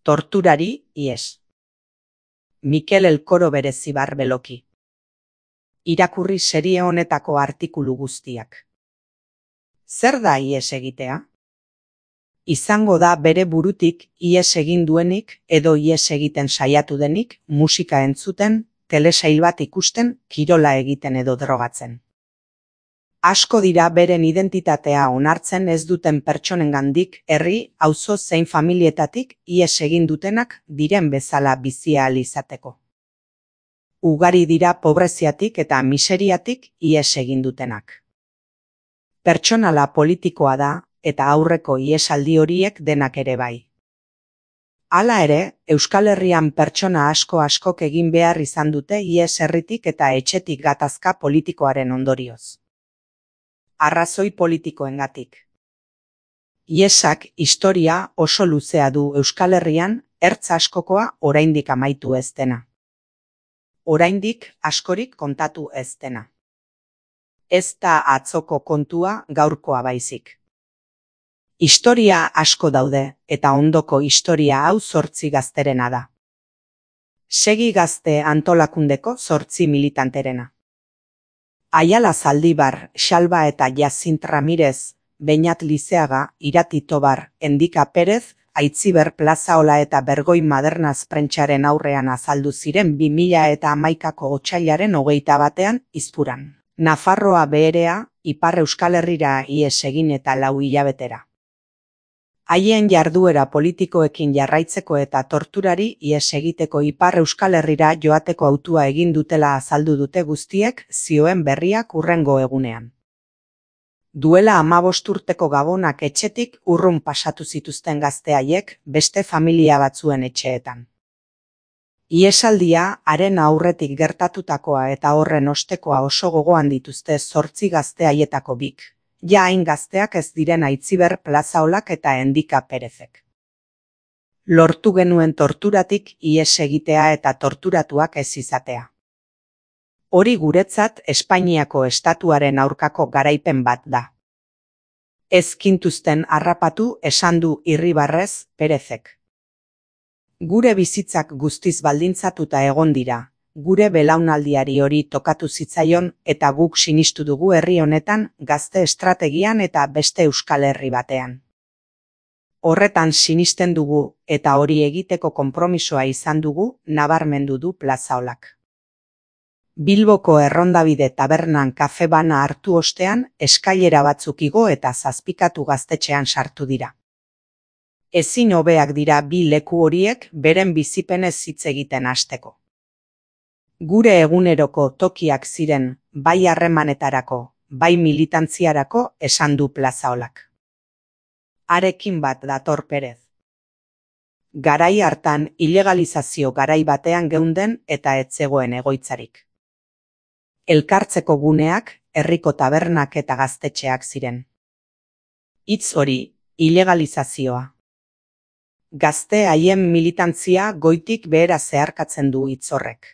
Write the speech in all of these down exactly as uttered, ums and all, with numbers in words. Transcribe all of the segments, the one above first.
Torturari ies. Mikel Elkoro Berezibar Beloki. Irakurri serie honetako artikulu guztiak. Zer da ies egitea? Izango da bere burutik ies egin duenik edo ies egiten saiatu denik musika entzuten, telesail bat ikusten, kirola egiten edo drogatzen. Asko dira beren identitatea onartzen ez duten pertsonengandik herri, auzo zein familietatik ies egin dutenak diren bezala bizi ahal izateko. Ugari dira pobreziatik eta miseriatik ies egin dutenak. Pertsonala politikoa da eta aurreko iesaldi horiek denak ere bai. Hala ere, Euskal Herrian pertsona asko askok egin behar izan dute ies herritik eta etxetik gatazka politikoaren ondorioz. Arrazoi politikoengatik. Iesak historia oso luzea du Euskal Herrian, ertz askokoa oraindik amaitu ez dena. Oraindik askorik kontatu ez dena. Ez da atzoko kontua gaurkoa baizik. Historia asko daude eta ondoko historia hau zortzi gazterena da. Segi Gazte antolakundeko zortzi militanterena. Aiala Zaldibar, Xalba eta Jacint Ramirez, Beñat Lizeaga, Irati Tobar, Endika Perez, Aitziber Plazaola eta Bergoi Madernaz prentsaren aurrean azaldu ziren bi mila eta hamaikako otsailaren hogeita batean Izpuran. Nafarroa Beherea, Ipar Euskal Herrira ies egin eta lau hilabetera. Haien jarduera politikoekin jarraitzeko eta torturari ies egiteko Ipar Euskal Herrira joateko hautua egin dutela azaldu dute guztiek zioen berriak hurrengo egunean. Duela hamabost urteko Gabonak etxetik urrun pasatu zituzten gazte haiek beste familia batzuen etxeetan. Iesaldia haren aurretik gertatutakoa eta horren ostekoa oso gogoan dituzte zortzi gazte haietako bik. Ja hain gazteak ez diren Aitziber Plazaolak eta Endika Perezek. Lortu genuen torturatik ies egitea eta torturatuak ez izatea. Hori guretzat Espainiako estatuaren aurkako garaipen bat da. Ez gintuzten harrapatu esan du irribarrez Perezek. Gure bizitzak guztiz baldintzatuta egon dira. Gure belaunaldiari hori tokatu zitzaion eta guk sinistu dugu herri honetan, gazte estrategian eta beste Euskal Herri batean. Horretan sinisten dugu eta hori egiteko konpromisoa izan dugu, nabarmendu du Plazaolak. Bilboko Errondabide tabernan kafe bana hartu ostean, eskailera batzuk igo eta zazpikatu gaztetxean sartu dira. Ezin hobeak dira bi leku horiek beren bizipenez hitz egiten hasteko. Gure eguneroko tokiak ziren, bai harremanetarako, bai militantziarako esan du Plazaolak. Harekin bat dator Perez. Garai hartan ilegalizazio garai batean geunden eta ez zegoen egoitzarik. Elkartzeko guneak, herriko tabernak eta gaztetxeak ziren. Hitz hori, ilegalizazioa. Gazte haien militantzia goitik behera zeharkatzen du hitz horrek.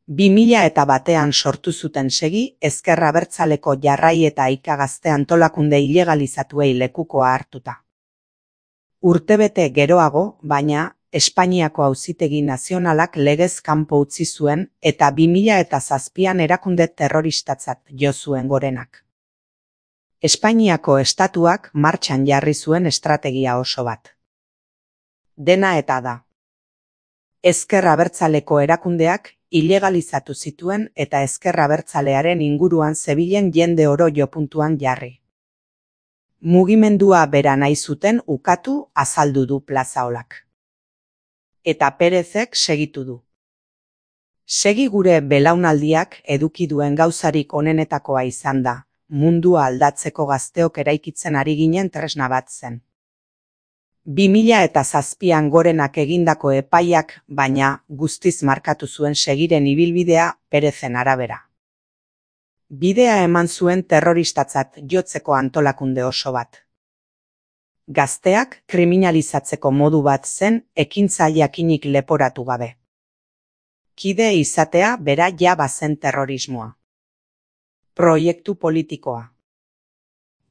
Bi mila eta batean sortu zuten segi, Ezker Abertzaleko jarrai eta Aika Gazte antolakunde ilegalizatuei lekukoa hartuta. Urtebete geroago, baina, Espainiako Auzitegi Nazionalak legez kanpo utzi zuen eta bi mila eta zazpian erakunde terroristatzat jo zuen gorenak. Espainiako estatuak martxan jarri zuen estrategia oso bat. Dena eta da. Ezker Abertzaleko erakundeak ilegalizatu zituen eta Ezker Abertzalearen inguruan zebilen jende oro jopuntuan jarri. Mugimendua bera nahi zuten ukatu azaldu du Plazaolak. Eta Perezek segitu du. Segi gure belaunaldiak eduki duen gauzarik onenetakoa izan da, mundua aldatzeko gazteok eraikitzen ari ginen tresna bat zen. Bi mila eta zazpian gorenak egindako epaiak, baina guztiz markatu zuen segiren ibilbidea Perezen arabera. Bidea eman zuen terroristatzat jotzeko antolakunde oso bat. Gazteak kriminalizatzeko modu bat zen ekintza jakinik leporatu gabe. Kide izatea bera ja bazen terrorismoa. Proiektu politikoa.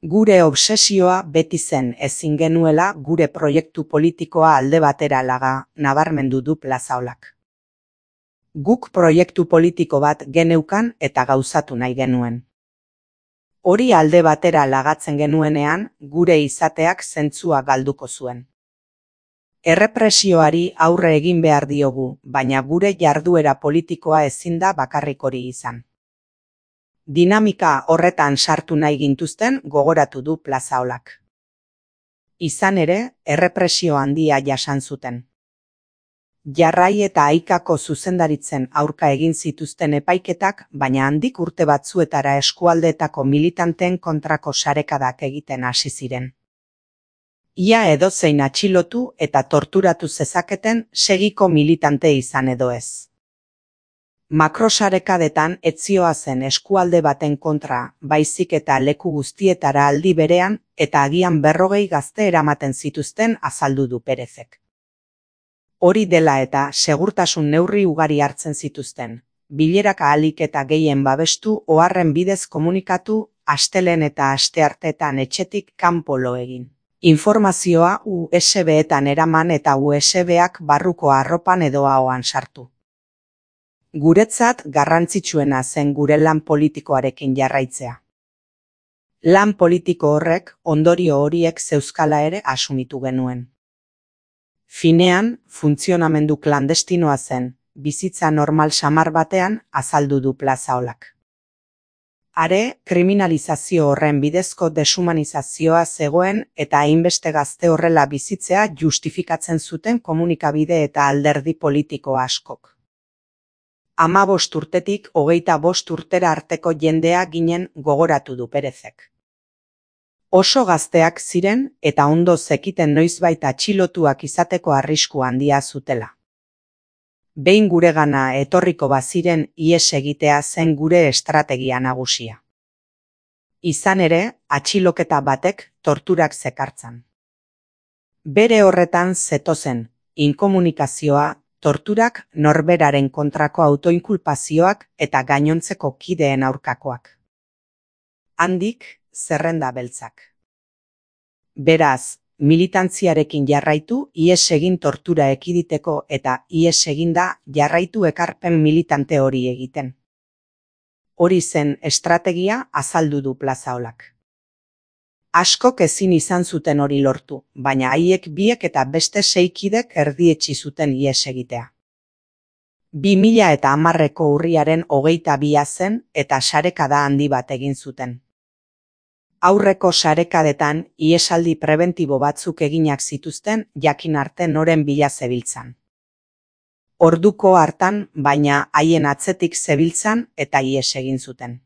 Gure obsesioa beti zen ezin genuela gure proiektu politikoa alde batera laga, nabarmendu du Plazaolak. Guk proiektu politiko bat geneukan eta gauzatu nahi genuen. Hori alde batera lagatzen genuenean, gure izateak zentzua galduko zuen. Errepresioari aurre egin behar diogu, baina gure jarduera politikoa ezin da bakarrik hori izan. Dinamika horretan sartu nahi gintuzten gogoratu du Plazaolak. Izan ere, errepresio handia jasan zuten. Jarrai eta Aikako zuzendaritzen aurka egin zituzten epaiketak, baina handik urte batzuetara eskualdeetako militanteen kontrako sarekadak egiten hasi ziren. Ia edozein atxilotu eta torturatu zezaketen segiko militante izan edo ez. Makrosarekadetan etzioa zen eskualde baten kontra, baizik eta leku guztietara aldi berean, eta agian berrogei gazte eramaten zituzten azaldu du Perezek. Hori dela eta segurtasun neurri ugari hartzen zituzten, bilerak ahalik eta gehien babestu oharren bidez komunikatu, astelen eta astearteetan etxetik kanpo lo egin. Informazioa U S B-etan eraman eta U S B-ak barruko arropan edo ahoan sartu. Guretzat garrantzitsuena zen gure lan politikoarekin jarraitzea. Lan politiko horrek ondorio horiek zeuzkala ere asumitu genuen. Finean, funtzionamendu klandestinoa zen, bizitza normal samar batean azaldu du Plazaolak. Are, kriminalizazio horren bidezko deshumanizazioa zegoen eta hainbeste gazte horrela bizitzea justifikatzen zuten komunikabide eta alderdi politiko askok. Ama bost urtetik hogeita bost urtera arteko jendea ginen gogoratu du Perezek. Oso gazteak ziren eta ondo zekiten noizbait atxilotuak izateko arrisku handia zutela. Behin guregana etorriko baziren ihes egitea zen gure estrategia nagusia. Izan ere, atxiloketa batek torturak zekartzan. Bere horretan zetozen, inkomunikazioa, torturak, norberaren kontrako autoinkulpazioak eta gainontzeko kideen aurkakoak. Handik, zerrenda beltzak. Beraz, militantziarekin jarraitu ihes egin tortura ekiditeko eta ihes eginda jarraitu ekarpen militante hori egiten. Hori zen estrategia azaldu du Plazaolak. Askok ezin izan zuten hori lortu, baina haiek biek eta beste seikidek erdietsi zuten ihes egitea. Bi mila eta hamarreko urriaren hogeita bia zen eta sarekada handi bat egin zuten. Aurreko sarekadetan ihesaldi prebentibo batzuk eginak zituzten jakin arte noren bila zebiltzan. Orduko hartan, baina haien atzetik zebiltzan eta ihes egin zuten.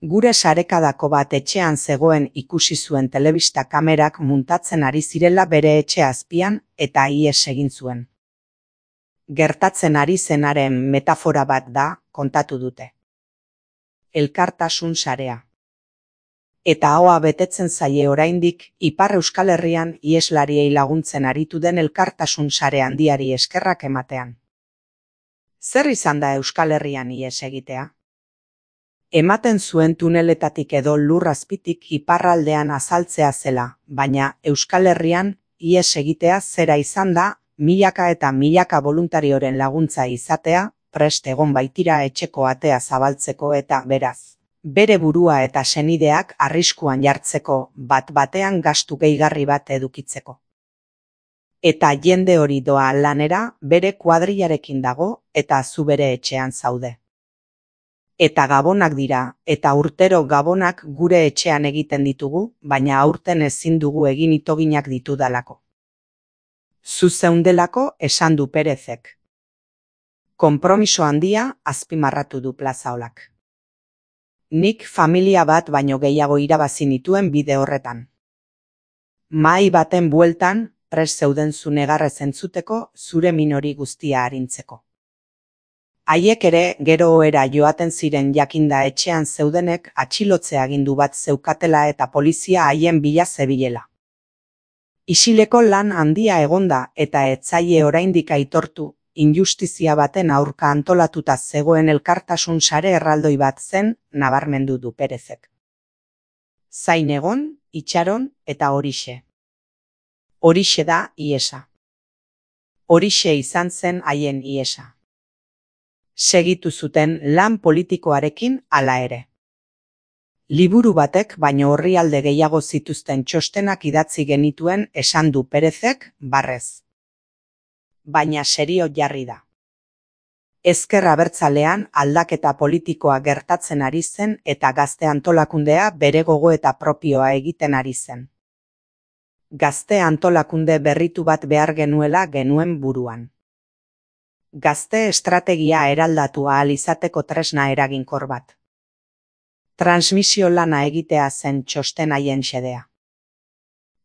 Gure sarekadako bat etxean zegoen ikusi zuen telebista kamerak muntatzen ari zirela bere etxe azpian eta ihes egin zuen. Gertatzen ari zenaren metafora bat da, kontatu dute. Elkartasun sarea. Eta ahoa betetzen zaie oraindik Ipar Euskal Herrian iheslariei laguntzen aritu den elkartasun sare handiari eskerrak ematean. Zer izan da Euskal Herrian ihes egitea? Ematen zuen tuneletatik edo lur azpitik iparraldean azaltzea zela, baina Euskal Herrian ihes egitea zera izan da, milaka eta milaka voluntarioren laguntza izatea, prest egon baitira etxeko atea zabaltzeko eta beraz. Bere burua eta senideak arriskuan jartzeko bat-batean gastu gehigarri bat edukitzeko. Eta jende hori doa lanera bere kuadrillarekin dago eta zu bere etxean zaude. Eta gabonak dira, eta urtero gabonak gure etxean egiten ditugu, baina aurten ezin dugu egin itoginak ditudalako. Zu zeundelako esan du Perezek. Konpromiso handia azpimarratu du Plazaolak. Nik familia bat baino gehiago irabazi nituen bide horretan. Mahai baten bueltan, prest zeuden zu negarrez entzuteko, zure minori guztia arintzeko. Haiek ere gero ohera joaten ziren jakinda etxean zeudenek atxilotze agindu bat zeukatela eta polizia haien bila zebilela. Isileko lan handia egonda eta etzaile oraindik aitortu, injustizia baten aurka antolatuta zegoen elkartasun sare erraldoi bat zen, nabarmendu du Perezek. Zain egon, itxaron eta horixe. Horixe da iesa. Horixe izan zen haien iesa. Segitu zuten lan politikoarekin hala ere. Liburu batek baino orrialde gehiago zituzten txostenak idatzi genituen esan du Perezek barrez. Baina serio jarri da. Ezker Abertzalean aldaketa politikoa gertatzen ari zen eta gazte antolakundea bere gogoeta propioa egiten ari zen. Gazte antolakunde berritu bat behar genuela genuen buruan. Gazte estrategia eraldatu ahal izateko tresna eraginkor bat. Transmisio lana egitea zen txosten haien xedea.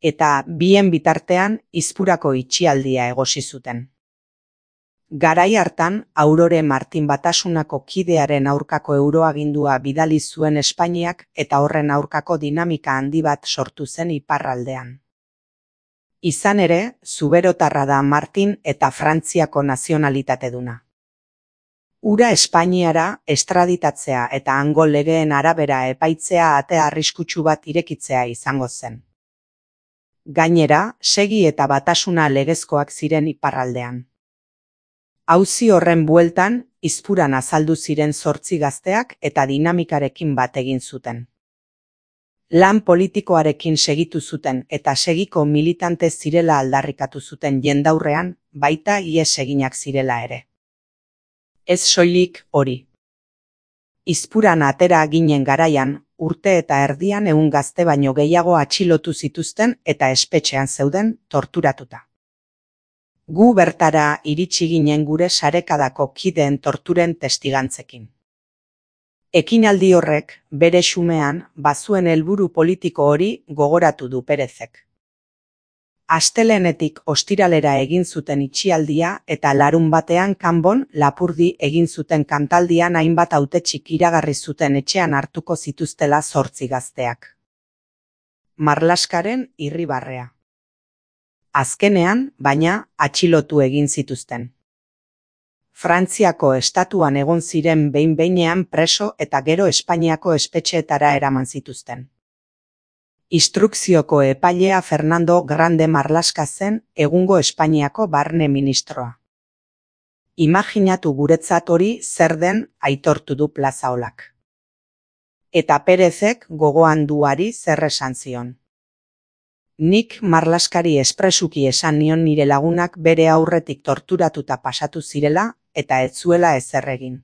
Eta bien bitartean Izpurako itxialdia egosi zuten. Garai hartan Aurore Martin Batasunako kidearen aurkako euroagindua bidali zuen Espainiak eta horren aurkako dinamika handi bat sortu zen iparraldean. Izan ere, zuberotarra da Martin eta Frantziako nazionalitateduna. Ura Espainiara estraditatzea eta hango legeen arabera epaitzea ate arriskutsu bat irekitzea izango zen. Gainera, Segi eta Batasuna legezkoak ziren iparraldean. Auzi horren bueltan, Izpuran azaldu ziren zortzi gazteak eta dinamikarekin bat egin zuten. Lan politikoarekin segitu zuten eta Segiko militante zirela aldarrikatu zuten jendaurrean, baita ihes eginak zirela ere. Ez soilik hori. Izpuran atera ginen garaian, urte eta erdian ehun gazte baino gehiago atxilotu zituzten eta espetxean zeuden torturatuta. Gu bertara iritsi ginen gure sarekadako kideen torturen testigantzekin. Ekinaldi horrek, bere xumean, bazuen helburu politiko hori gogoratu du Perezek. Astelehenetik ostiralera egin zuten itxialdia eta larun batean Kanbon Lapurdi egin zuten kantaldian hainbat hautetxik iragarri zuten etxean hartuko zituztela zortzi gazteak. Marlaskaren irribarrea. Azkenean, baina, atxilotu egin zituzten. Frantziako estatuan egon ziren behin-behinean preso eta gero Espainiako espetxeetara eraman zituzten. Instrukzioko epailea Fernando Grande Marlaska zen egungo Espainiako barne ministroa. Imaginatu guretzat hori zer den aitortu du Plazaolak. Eta Perezek gogoan duari zer esan zion. Nik Marlaskari espresuki esan nion nire lagunak bere aurretik torturatuta pasatu zirela eta ez zuela ezer egin.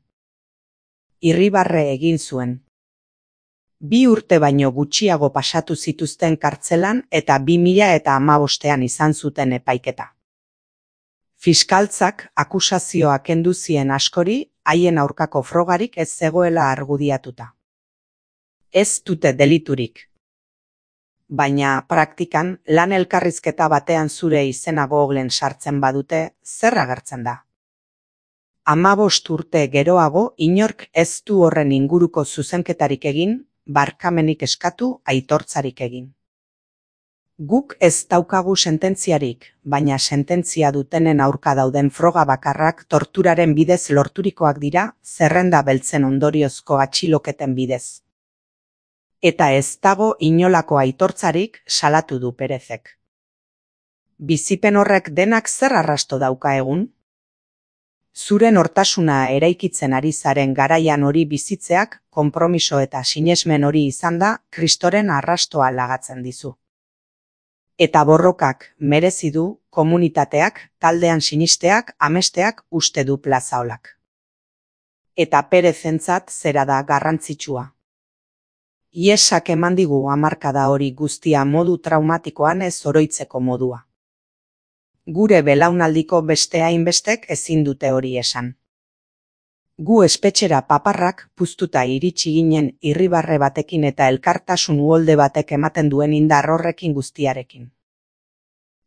Irribarre egin zuen. Bi urte baino gutxiago pasatu zituzten kartzelan eta bi mila eta hamabostean izan zuten epaiketa. Fiskaltzak akusazioa kendu zien askori haien aurkako frogarik ez zegoela argudiatuta. Ez dute deliturik. Baina praktikan lan elkarrizketa batean zure izena Googlen sartzen badute, zer agertzen da? Hamabost urte geroago inork ez du horren inguruko zuzenketarik egin, barkamenik eskatu, aitortzarik egin. Guk ez daukagu sententziarik, baina sententzia dutenen aurka dauden froga bakarrak torturaren bidez lorturikoak dira, zerrenda beltzen ondoriozko atxiloketen bidez. Eta ez dago inolako aitortzarik salatu du Perezek. Bizipen horrek denak zer arrasto dauka egun? Zure nortasuna eraikitzen ari zaren garaian hori bizitzeak, konpromiso eta sinesmen hori izan da, Kristoren arrastoa lagatzen dizu. Eta borrokak merezi du, komunitateak, taldean sinisteak, amesteak uste du Plazaolak. Eta Perezentzat zera da garrantzitsua. Iesak eman digu hamarkada hori guztia modu traumatikoan ez oroitzeko modua. Gure belaunaldiko beste hainbestek ezin dute hori esan. Gu espetxera paparrak puztuta iritsi ginen irribarre batekin eta elkartasun uholde batek ematen duen indar horrekin guztiarekin.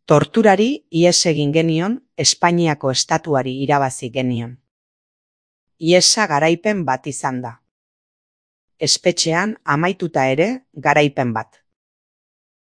Torturari ihes egin genion, Espainiako estatuari irabazi genion. Ihesa garaipen bat izan da. Espetxean amaituta ere garaipen bat.